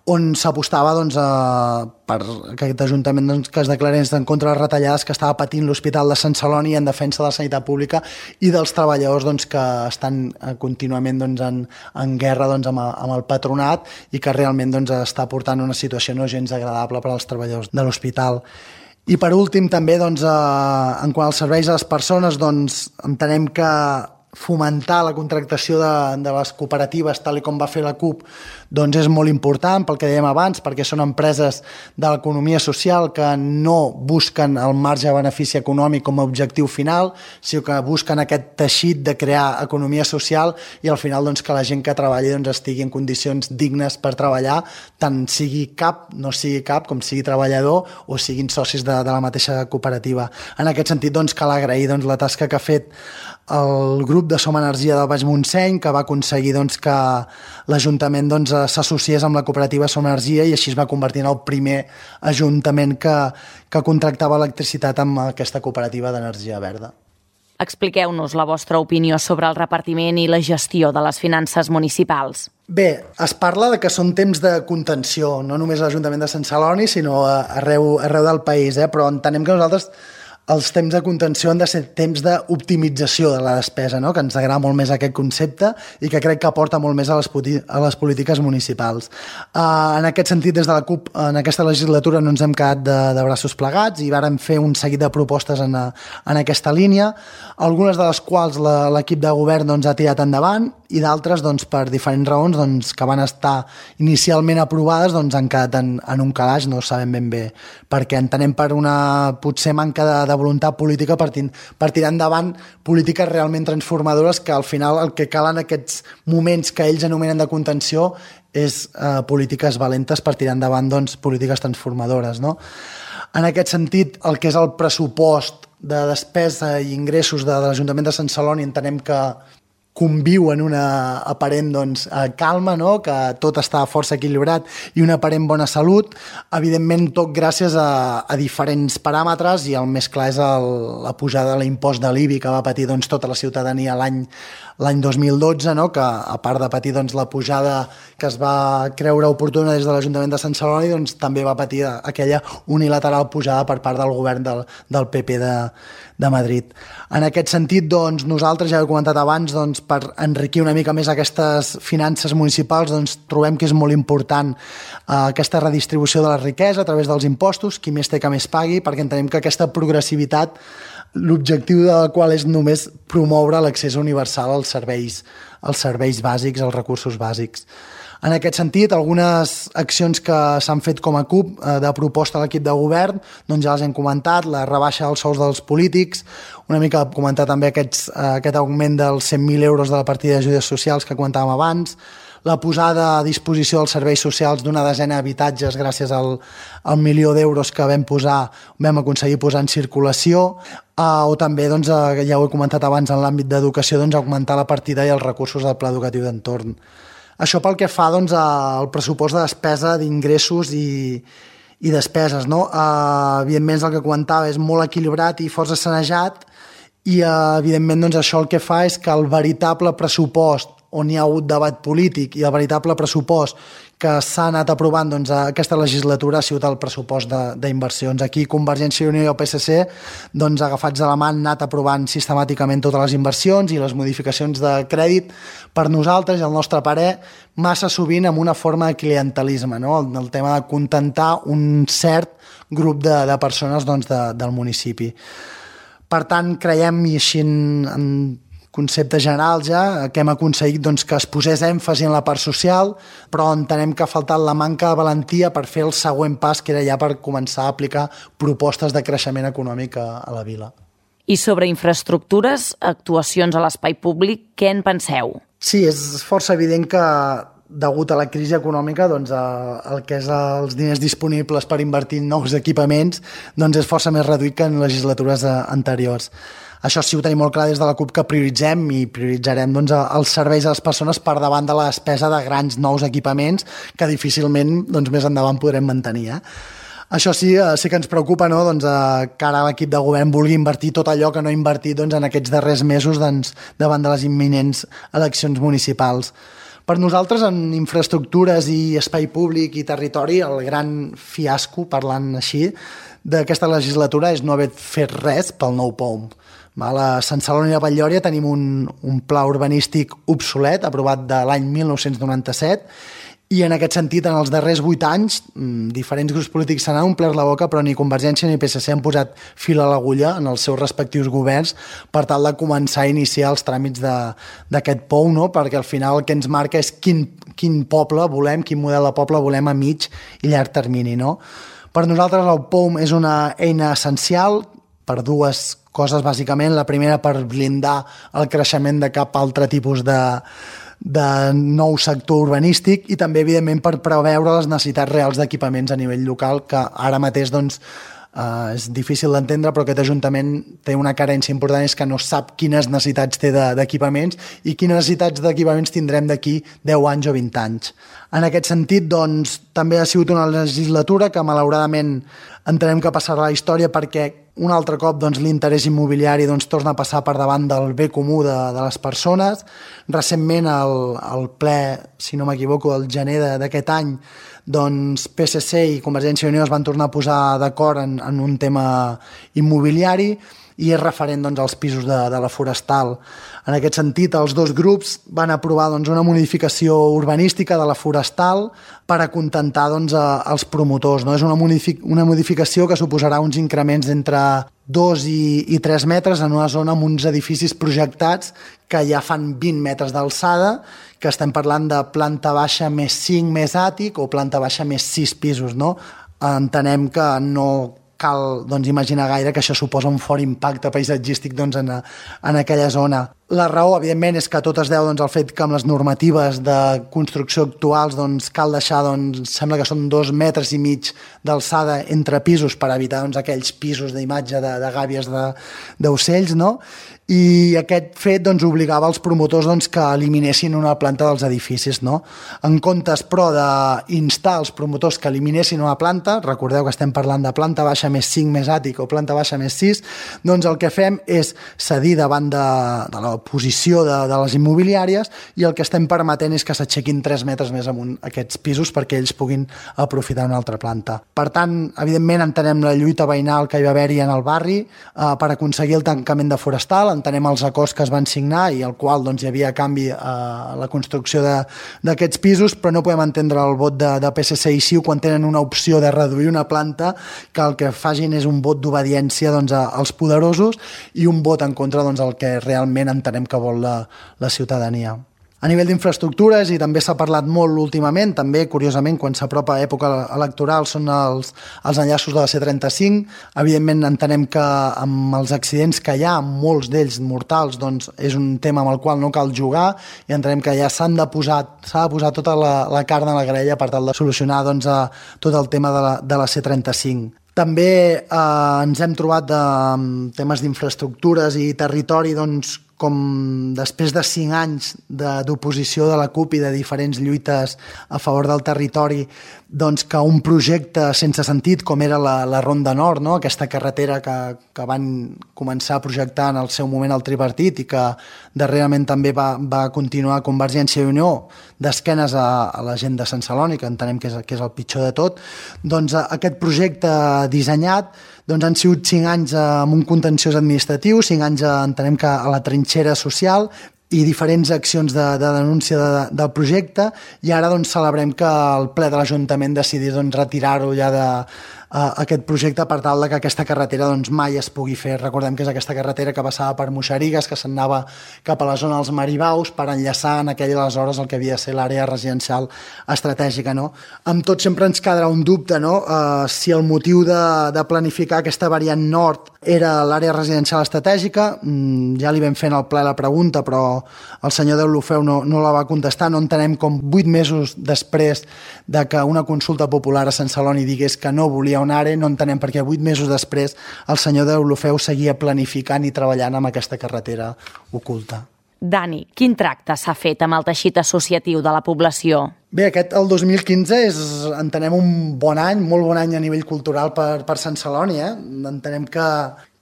on s'apostava doncs, a, per aquest Ajuntament doncs, que es declarés en contra de les retallades que estava patint l'Hospital de Sant Celoni en defensa de la sanitat pública i dels treballadors doncs, que estan contínuament doncs, en, en guerra doncs, amb, amb el patronat i que realment doncs, està portant una situació no gens agradable per als treballadors de l'hospital. I per últim també doncs, eh, en quant als serveis a les persones doncs, entenem que fomentar la contractació de, de les cooperatives tal com va fer la CUP doncs és molt important pel que dèiem abans, perquè són empreses de l'economia social que no busquen el marge de benefici econòmic com a objectiu final, sinó que busquen aquest teixit de crear economia social i al final doncs, que la gent que treballi doncs, estigui en condicions dignes per treballar, tant sigui cap, no sigui cap, com sigui treballador o siguin socis de, de la mateixa cooperativa. En aquest sentit doncs, cal agrair doncs, la tasca que ha fet el grup de Som Energia del Baix Montseny, que va aconseguir doncs, que l'Ajuntament doncs, s'associés amb la cooperativa Som Energia i així es va convertir en el primer ajuntament que, que contractava electricitat amb aquesta cooperativa d'energia verda. Expliqueu-nos la vostra opinió sobre el repartiment i la gestió de les finances municipals. Bé, es parla de que són temps de contenció, no només a l'Ajuntament de Sant Celoni, sinó arreu, arreu del país, eh? Però entenem que nosaltres els temps de contenció han de ser temps d'optimització de la despesa, no? Que ens agrada molt més aquest concepte i que crec que aporta molt més a les, a les polítiques municipals. Uh, en aquest sentit, des de la CUP, en aquesta legislatura no ens hem quedat de, de braços plegats i vàrem fer un seguit de propostes en, a, en aquesta línia, algunes de les quals l'equip de govern doncs, ha tirat endavant i d'altres, doncs, per diferents raons doncs, que van estar inicialment aprovades doncs, han quedat en, en un calaix, no sabem ben bé, perquè entenem per una potser manca de, de voluntat política per, per tirar endavant polítiques realment transformadores que al final el que cal en aquests moments que ells anomenen de contenció és eh, polítiques valentes per tirar endavant doncs, polítiques transformadores. No? En aquest sentit, el que és el pressupost de despesa i ingressos de, de l'Ajuntament de Sant Celoni entenem que conviu en una aparent doncs, calma, no? Que tot està força equilibrat i una aparent bona salut, evidentment tot gràcies a, a diferents paràmetres i el més clar és el, la pujada de l'impost de l'I B I que va patir doncs, tota la ciutadania l'any l'any dos mil dotze, no? Que a part de patir doncs, la pujada que es va creure oportuna des de l'Ajuntament de Sant Celoni, doncs, també va patir aquella unilateral pujada per part del govern del, del P P de, de Madrid. En aquest sentit, doncs, nosaltres, ja ho he comentat abans, doncs, per enriquir una mica més aquestes finances municipals, doncs, trobem que és molt important eh, aquesta redistribució de la riquesa a través dels impostos, qui més té que més pagui, perquè entenem que aquesta progressivitat l'objectiu del qual és només promoure l'accés universal als serveis, als serveis bàsics, als recursos bàsics. En aquest sentit, algunes accions que s'han fet com a CUP eh, de proposta a l'equip de govern, doncs ja les hem comentat, la rebaixa dels sous dels polítics, una mica comentar també aquests, eh, aquest augment dels cent mil euros de la partida d'ajudes socials que comentàvem abans, la posada a disposició dels serveis socials d'una desena d'habitatges gràcies al, al milió d'euros que vam posar, vam aconseguir posar en circulació, eh, o també, doncs, eh, ja ho he comentat abans en l'àmbit d'educació, doncs, augmentar la partida i els recursos del pla educatiu d'entorn. Això pel que fa doncs, al pressupost de despesa d'ingressos i, i despeses. No? Eh, evidentment, el que comentava és molt equilibrat i força sanejat i, eh, evidentment, doncs, això el que fa és que el veritable pressupost on hi ha hagut debat polític i el veritable pressupost que s'ha anat aprovant doncs, aquesta legislatura ha sigut el pressupost d'inversions. Aquí Convergència i Unió i el P S C, doncs, agafats de la mà, han anat aprovant sistemàticament totes les inversions i les modificacions de crèdit per nosaltres i el nostre parer massa sovint amb una forma de clientelisme, no? el, el tema de contentar un cert grup de, de persones doncs, de, del municipi. Per tant, creiem, i així en, en conceptes generals ja, que hem aconseguit doncs, que es posés èmfasi en la part social, però entenem que ha faltat la manca de valentia per fer el següent pas, que era ja per començar a aplicar propostes de creixement econòmic a, a la vila. I sobre infraestructures, actuacions a l'espai públic, què en penseu? Sí, és força evident que degut a la crisi econòmica, doncs, el que és els diners disponibles per invertir en nous equipaments doncs és força més reduït que en legislatures anteriors. Això sí, ho tenim molt clar des de la CUP que prioritzem i prioritzarem doncs, els serveis a les persones per davant de la despesa de grans nous equipaments que difícilment doncs, més endavant podrem mantenir. Eh? Això sí, sí que ens preocupa, no? doncs, que ara l'equip de govern vulgui invertir tot allò que no ha invertit doncs, en aquests darrers mesos doncs, davant de les imminents eleccions municipals. Per nosaltres, en infraestructures i espai públic i territori, el gran fiasco, parlant així, d'aquesta legislatura és no haver fet res pel nou P O M. A Sant Celoni i a Batllòria tenim un, un pla urbanístic obsolet, aprovat de l'any mil nou-cents noranta-set, i en aquest sentit, en els darrers vuit anys, diferents grups polítics se n'han omplert la boca, però ni Convergència ni P S C han posat fil a l'agulla en els seus respectius governs per tal de començar a iniciar els tràmits d'aquest P O M, no? Perquè al final el que ens marca és quin, quin poble volem, quin model de poble volem a mig i llarg termini. No? Per nosaltres el P O M és una eina essencial per dues coses, bàsicament. La primera, per blindar el creixement de cap altre tipus de, de nou sector urbanístic i també, evidentment, per preveure les necessitats reals d'equipaments a nivell local, que ara mateix doncs, eh, és difícil d'entendre, però aquest Ajuntament té una carència important, és que no sap quines necessitats té d'equipaments i quines necessitats d'equipaments tindrem d'aquí deu anys o vint anys. En aquest sentit, doncs, també ha sigut una legislatura que, malauradament, entenem que passarà a la història perquè un altre cop doncs, l'interès immobiliari doncs, torna a passar per davant del bé comú de, de les persones. Recentment, al, al ple, si no m'equivoco, el gener d'aquest any, doncs P S C i Convergència i Unió es van tornar a posar d'acord en, en un tema immobiliari i és referent doncs, als pisos de, de la Forestal. En aquest sentit, els dos grups van aprovar doncs, una modificació urbanística de la Forestal per acontentar doncs, a, als promotors. No? És una, modific una modificació que suposarà uns increments d'entre dos i, i tres metres en una zona amb uns edificis projectats que ja fan vint metres d'alçada, que estem parlant de planta baixa més cinc més àtic o planta baixa més sis pisos. No? Entenem que no cal doncs, imaginar gaire que això suposa un fort impacte paisatgístic doncs, en, a, en aquella zona. La raó, evidentment, és que tot es deu doncs, al fet que amb les normatives de construcció actuals doncs, cal deixar, doncs, sembla que són dos metres i mig d'alçada entre pisos per evitar doncs, aquells pisos d'imatge de, de gàbies d'ocells, no? I aquest fet doncs, obligava els promotors doncs, que eliminessin una planta dels edificis. No? En comptes, però, d'instar els promotors que eliminessin una planta, recordeu que estem parlant de planta baixa més cinc més àtic o planta baixa més sis, doncs el que fem és cedir davant de, de la posició de, de les immobiliàries i el que estem permetent és que s'aixequin tres metres més amunt aquests pisos perquè ells puguin aprofitar una altra planta. Per tant, evidentment, entenem la lluita veïnal que hi va haver-hi en el barri eh, per aconseguir el tancament de Forestal, entenem els acords que es van signar i al qual doncs, hi havia canvi a la construcció d'aquests pisos, però no podem entendre el vot de, de P S C i C I U quan tenen una opció de reduir una planta que el que facin és un vot d'obediència doncs, als poderosos i un vot en contra doncs, el que realment entenem que vol la, la ciutadania. A nivell d'infraestructures, i també s'ha parlat molt últimament, també, curiosament, quan s'apropa època electoral, són els, els enllaços de la C trenta-cinc. Evidentment, entenem que amb els accidents que hi ha, molts d'ells mortals, doncs és un tema amb el qual no cal jugar i entenem que ja s'han de posar, s'ha de posar tota la, la carn a la graella per tal de solucionar doncs, a, tot el tema de la, de la C trenta-cinc. També eh, ens hem trobat de temes d'infraestructures i territori, doncs, com després de cinc anys d'oposició de la CUP i de diferents lluites a favor del territori, doncs que un projecte sense sentit com era la, la Ronda Nord, no? Aquesta carretera que, que van començar a projectar en el seu moment el tripartit i que darrerament també va, va continuar Convergència i Unió d'esquenes a, a la gent de Sant Celoni, que entenem que és, que és el pitjor de tot, doncs aquest projecte dissenyat doncs han sigut cinc anys amb un contenciós administratiu, cinc anys entenem que a la trinxera social i diferents accions de, de denúncia de, del projecte i ara doncs, celebrem que el ple de l'Ajuntament decidís doncs, retirar-ho ja de uh, aquest projecte per tal que aquesta carretera doncs, mai es pugui fer. Recordem que és aquesta carretera que passava per Muixerigues, que s'anava cap a la zona dels Maribaus per enllaçar en aquelles aleshores el que havia de ser l'àrea residencial estratègica. No? Amb tot sempre ens quedarà un dubte, no? uh, si el motiu de, de planificar aquesta variant nord era l'àrea residencial estratègica. Mm, ja li vam fer en el ple la pregunta, però el senyor Deulofeu no, no la va contestar. No entenem com vuit mesos després de que una consulta popular a Sant Celoni digués que no volia un àrea, no entenem perquè vuit mesos després el senyor Deulofeu seguia planificant i treballant amb aquesta carretera oculta. Dani, quin tracte s'ha fet amb el teixit associatiu de la població? Bé, aquest, el dos mil quinze, és, entenem un bon any, molt bon any a nivell cultural per, per Sant Celoni. Eh? Entenem que,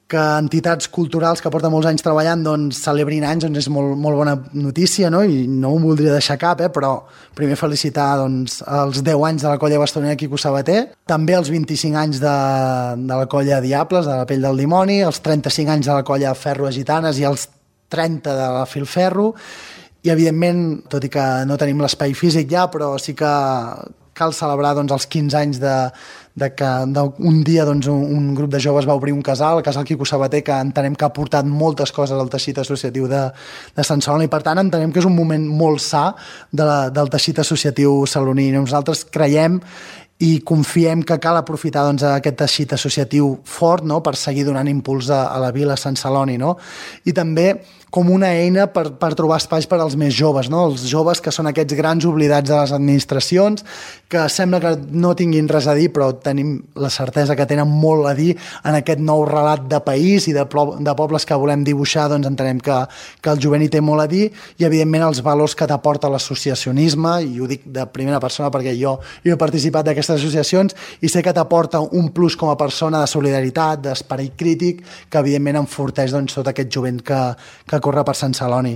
que entitats culturals que porten molts anys treballant doncs, celebrin anys, doncs és molt, molt bona notícia, no? I no ho voldria deixar cap, eh? Però primer felicitar doncs, els deu anys de la colla bastonera Quico Sabater, també els vint-i-cinc anys de, de la colla Diables, de la Pell del Dimoni, els trenta-cinc anys de la colla Ferro Gitanes i els trenta de la Filferro, i evidentment, tot i que no tenim l'espai físic ja, però sí que cal celebrar doncs, els quinze anys de, de que un dia doncs, un, un grup de joves va obrir un casal, el casal Quico Sabater, que entenem que ha portat moltes coses al teixit associatiu de, de Sant Celoni, i per tant entenem que és un moment molt sa de la, del teixit associatiu saloní. Nosaltres creiem i confiem que cal aprofitar doncs, aquest teixit associatiu fort, no?, per seguir donant impuls a, a la vila Sant Celoni. No? I també com una eina per, per trobar espais per als més joves, no? Els joves que són aquests grans oblidats de les administracions, que sembla que no tinguin res a dir, però tenim la certesa que tenen molt a dir en aquest nou relat de país i de, de pobles que volem dibuixar, doncs entenem que, que el jovent hi té molt a dir, i evidentment els valors que t'aporta l'associacionisme, i ho dic de primera persona perquè jo, jo he participat d'aquestes associacions i sé que t'aporta un plus com a persona de solidaritat, d'esperit crític, que evidentment enforteix doncs, tot aquest jovent que, que corre per Sant Celoni.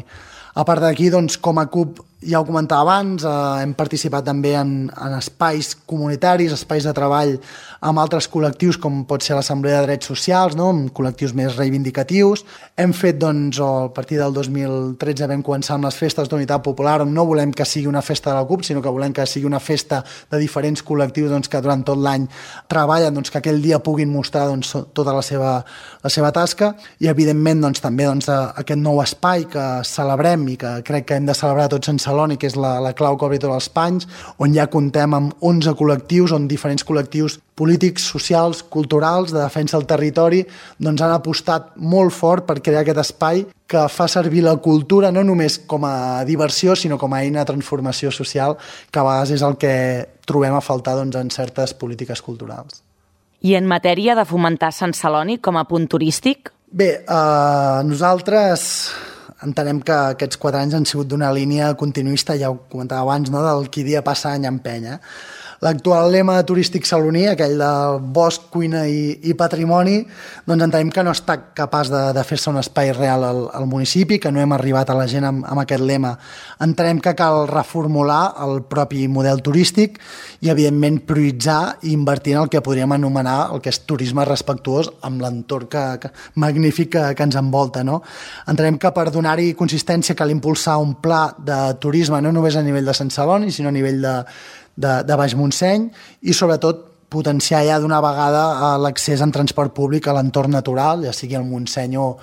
A part d'aquí, doncs, com a C U P, ja ho comentava abans, eh, hem participat també en, en espais comunitaris, espais de treball amb altres col·lectius, com pot ser l'Assemblea de Drets Socials, no? Amb col·lectius més reivindicatius. Hem fet, doncs, o a partir del dos mil tretze vam començar amb les festes d'Unitat Popular, on no volem que sigui una festa de la C U P, sinó que volem que sigui una festa de diferents col·lectius doncs, que durant tot l'any treballen, doncs, que aquell dia puguin mostrar doncs, tota la seva, la seva tasca, i evidentment doncs, també doncs, aquest nou espai que celebrem i que crec que hem de celebrar tots en Celoni, que és la, la clau que obri tots els panys, on ja comptem amb onze col·lectius, on diferents col·lectius polítics, socials, culturals, de defensa del territori, doncs han apostat molt fort per crear aquest espai que fa servir la cultura no només com a diversió, sinó com a eina de transformació social, que a vegades és el que trobem a faltar doncs, en certes polítiques culturals. I en matèria de fomentar Sant Celoni com a punt turístic? Bé, eh, nosaltres entenem que aquests quatre anys han sigut d'una línia continuista, ja ho comentava abans, no? Del qui dia passa any empeny. L'actual lema turístic saloní, aquell de bosc, cuina i, i patrimoni, doncs entenem que no està capaç de, de fer-se un espai real al, al municipi, que no hem arribat a la gent amb, amb aquest lema. Entenem que cal reformular el propi model turístic i, evidentment, prioritzar i invertir en el que podríem anomenar el que és turisme respectuós amb l'entorn que, que, magnífic que, que ens envolta. No? Entenem que per donar-hi consistència cal impulsar un pla de turisme no només a nivell de Sant Celoni, sinó a nivell de de, de Baix Montseny, i sobretot potenciar ja d'una vegada l'accés en transport públic a l'entorn natural, ja sigui al Montseny o,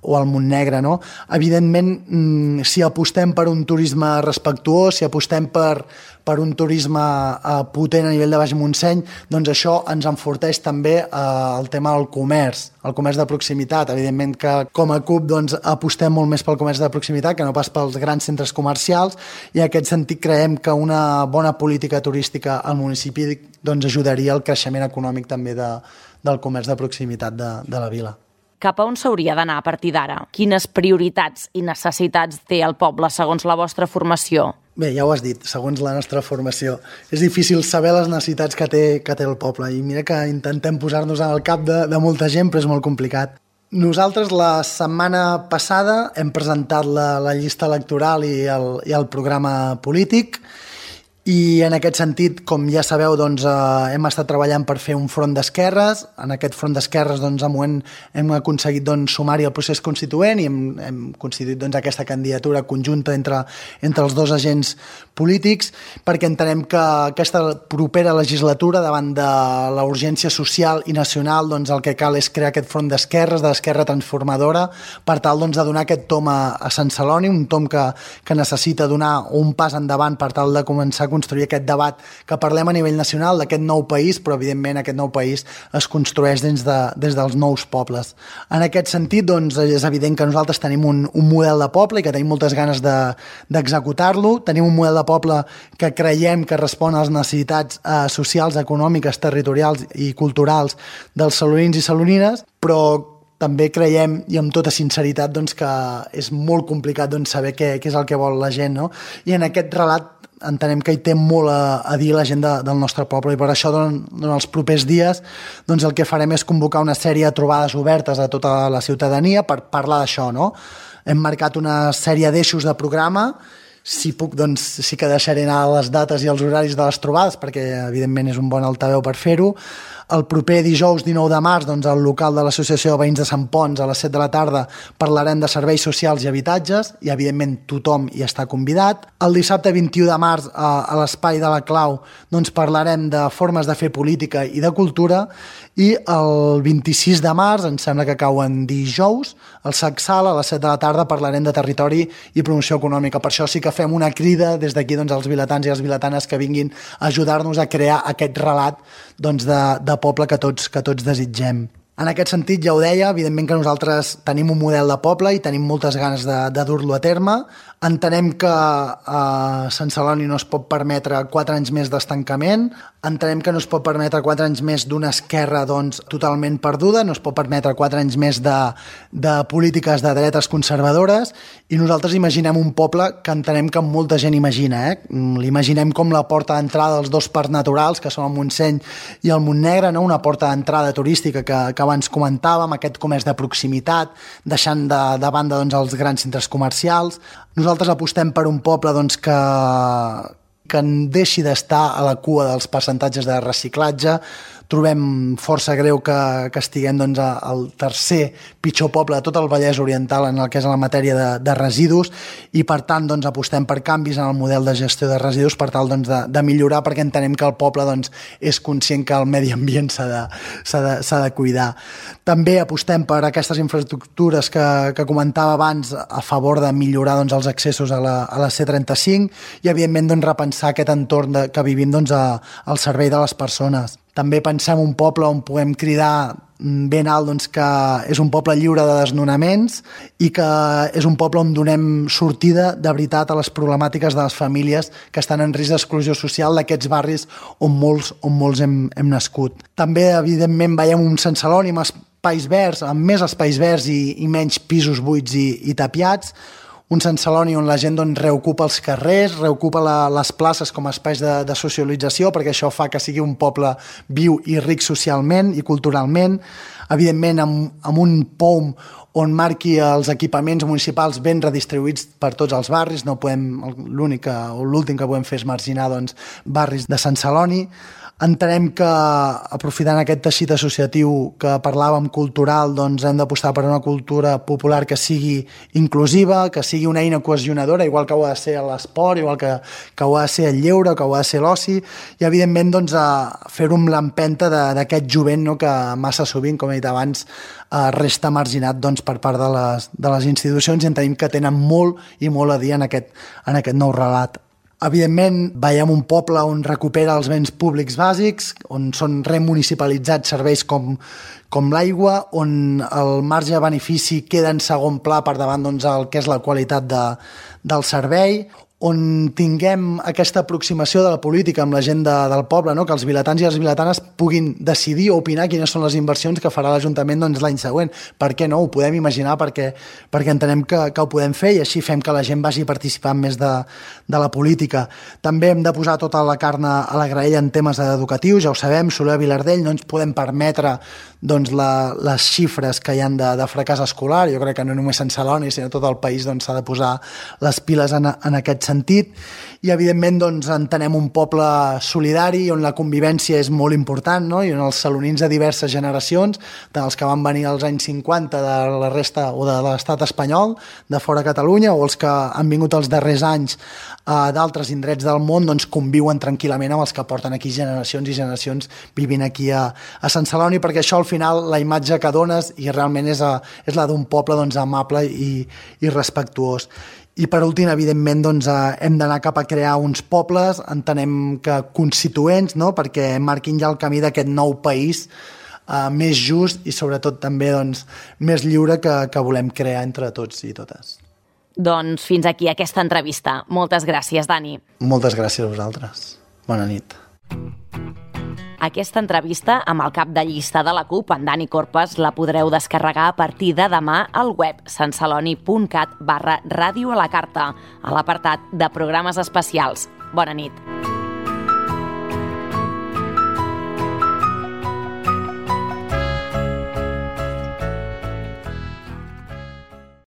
o al Montnegre. No? Evidentment, si apostem per un turisme respectuós, si apostem per, per un turisme eh, potent a nivell de Baix Montseny, doncs això ens enforteix també eh, el tema del comerç, el comerç de proximitat. Evidentment que com a C U P doncs, apostem molt més pel comerç de proximitat que no pas pels grans centres comercials, i en aquest sentit creiem que una bona política turística al municipi doncs, ajudaria al creixement econòmic també de, del comerç de proximitat de, de la vila. Cap a on s'hauria d'anar a partir d'ara? Quines prioritats i necessitats té el poble segons la vostra formació? Bé, ja ho has dit, segons la nostra formació. És difícil saber les necessitats que té, que té el poble, i mira que intentem posar-nos al cap de, de molta gent, però és molt complicat. Nosaltres la setmana passada hem presentat la, la llista electoral i el, i el programa polític, i en aquest sentit, com ja sabeu, doncs, eh, hem estat treballant per fer un front d'esquerres. En aquest front d'esquerres doncs, hem, hem aconseguit doncs, sumar-hi el procés constituent i hem, hem constituït doncs, aquesta candidatura conjunta entre, entre els dos agents polítics, perquè entenem que aquesta propera legislatura, davant de la urgència social i nacional, doncs, el que cal és crear aquest front d'esquerres, de l'esquerra transformadora, per tal doncs, de donar aquest tom a, a Sant Celoni, un tom que, que necessita donar un pas endavant per tal de començar a construir aquest debat que parlem a nivell nacional d'aquest nou país, però evidentment aquest nou país es construeix des, de, des dels nous pobles. En aquest sentit, doncs, és evident que nosaltres tenim un, un model de poble i que tenim moltes ganes de, d'executar-lo. Tenim un model de poble que creiem que respon a les necessitats eh, socials, econòmiques, territorials i culturals dels salonins i salonines, però també creiem, i amb tota sinceritat, doncs, que és molt complicat doncs, saber què, què és el que vol la gent. No? I en aquest relat entenem que hi té molt a, a dir la gent de, del nostre poble, i per això durant, durant els propers dies doncs el que farem és convocar una sèrie de trobades obertes a tota la ciutadania per parlar d'això. No? Hem marcat una sèrie d'eixos de programa. Si puc, doncs sí que deixaré anar les dates i els horaris de les trobades, perquè evidentment és un bon altaveu per fer-ho. El proper dijous dinou de març, doncs, al local de l'Associació de Veïns de Sant Ponç, a les set de la tarda, parlarem de serveis socials i habitatges, i evidentment tothom hi està convidat. El dissabte vint-i-u de març, a, a l'Espai de la Clau, doncs, parlarem de formes de fer política i de cultura, i el vint-i-sis de març, em sembla que cau en dijous, al Sacsal, a les set de la tarda, parlarem de territori i promoció econòmica. Per això sí que fem una crida des d'aquí doncs, als vilatans i les vilatanes que vinguin a ajudar-nos a crear aquest relat doncs, de, de poble que tots, que tots desitgem. En aquest sentit, ja ho deia, evidentment que nosaltres tenim un model de poble i tenim moltes ganes de, de dur-lo a terme. Entenem que a Sant Celoni no es pot permetre quatre anys més d'estancament, entenem que no es pot permetre quatre anys més d'una esquerra doncs, totalment perduda, no es pot permetre quatre anys més de, de polítiques de dretes conservadores, i nosaltres imaginem un poble que entenem que molta gent imagina. Eh? L'imaginem com la porta d'entrada dels dos parcs naturals, que són el Montseny i el Montnegre, no? Una porta d'entrada turística que, que abans comentàvem, aquest comerç de proximitat, deixant de, de banda doncs, els grans centres comercials. Nosaltres apostem per un poble doncs, que, que deixi d'estar a la cua dels percentatges de reciclatge. Trobem força greu que, que estiguem doncs, al tercer pitjor poble de tot el Vallès Oriental en el que és la matèria de, de residus, i per tant doncs, apostem per canvis en el model de gestió de residus per tal doncs, de, de millorar, perquè entenem que el poble doncs, és conscient que el medi ambient s'ha de, s'ha de, s'ha de cuidar. També apostem per aquestes infraestructures que, que comentava abans a favor de millorar doncs, els accessos a la, a la C trenta-cinc i evidentment doncs, repensar aquest entorn de, que vivim doncs, a, al servei de les persones. També pensem un poble on puguem cridar ben alt doncs, que és un poble lliure de desnonaments i que és un poble on donem sortida de veritat a les problemàtiques de les famílies que estan en risc d'exclusió social d'aquests barris on molts, on molts hem, hem nascut. També, evidentment, veiem un Sant Celoni amb espais verds, amb més espais verds i, i menys pisos buits i, i tapiats, un Sant Celoni on la gent doncs, reocupa els carrers, reocupa la, les places com a espais de, de socialització, perquè això fa que sigui un poble viu i ric socialment i culturalment, evidentment amb, amb un P O M on marqui els equipaments municipals ben redistribuïts per tots els barris. No podem, l'únic o l'últim que podem fer és marginar doncs, barris de Sant Celoni. Entenem que, aprofitant aquest teixit associatiu que parlàvem cultural, doncs hem d'apostar per una cultura popular que sigui inclusiva, que sigui una eina cohesionadora, igual que ho ha de ser l'esport, igual que, que ho ha de ser el lleure, que ho ha de ser l'oci, i evidentment doncs, a fer-ho amb l'empenta d'aquest jovent, no?, que massa sovint, com he dit abans, eh, resta marginat doncs, per part de les, de les institucions, i entenem que tenen molt i molt a dir en aquest, en aquest nou relat. Evidentment, veiem un poble on recupera els béns públics bàsics, on són remunicipalitzats serveis com, com l'aigua, on el marge de benefici queda en segon pla per davant doncs, el que és la qualitat de, del servei, on tinguem aquesta aproximació de la política amb la gent de, del poble, no? Que els vilatans i les vilatanes puguin decidir o opinar quines són les inversions que farà l'Ajuntament doncs, l'any següent. Per què no? Ho podem imaginar perquè, perquè entenem que, que ho podem fer i així fem que la gent vagi participant més de, de la política. També hem de posar tota la carn a la graella en temes educatius, ja ho sabem, Soler, Vilardell, no ens podem permetre doncs, la, les xifres que hi ha de, de fracàs escolar. Jo crec que no només Sant Celoni, sinó tot el país doncs, s'ha de posar les piles en, en aquest sentit, i evidentment doncs, entenem un poble solidari on la convivència és molt important, no? I on els salonins de diverses generacions, tant els que van venir als anys cinquanta de la resta o de l'estat espanyol, de fora Catalunya, o els que han vingut els darrers anys eh, d'altres indrets del món, doncs conviuen tranquil·lament amb els que porten aquí generacions i generacions vivint aquí a, a Sant Celoni, perquè això al final la imatge que dones i realment és, a, és la d'un poble doncs, amable i, i respectuós. I per últim, evidentment, doncs, hem d'anar cap a crear uns pobles, entenem que constituents, no?, perquè marquin ja el camí d'aquest nou país eh, més just i sobretot també doncs, més lliure que, que volem crear entre tots i totes. Doncs fins aquí aquesta entrevista. Moltes gràcies, Dani. Moltes gràcies a vosaltres. Bona nit. Aquesta entrevista amb el cap de llista de la CUP, en Dani Corpes, la podreu descarregar a partir de demà al web santceloni.cat barra ràdio a la carta, a l'apartat de programes especials. Bona nit.